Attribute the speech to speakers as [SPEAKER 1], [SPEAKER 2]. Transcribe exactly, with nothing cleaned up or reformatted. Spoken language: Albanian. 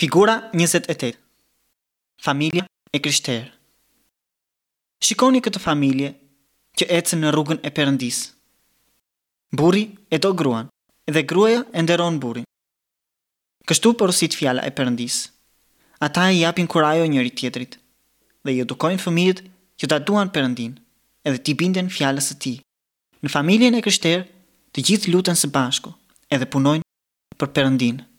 [SPEAKER 1] Figura njëzet e tetë. Familja e krishterë. Shikoni këtë familje që ecën në rrugën e Perëndisë. Burri e do gruan dhe gruaja e nderon burrin. Kështu porosit fjala e Perëndisë. Ata i japin kurajo njëri tjetrit dhe i edukojnë fëmijët që ta duan Perëndinë edhe t'i binden fjalës së tij. Në familjen e krishterë, të gjithë luten së bashku edhe punojnë për Perëndinë.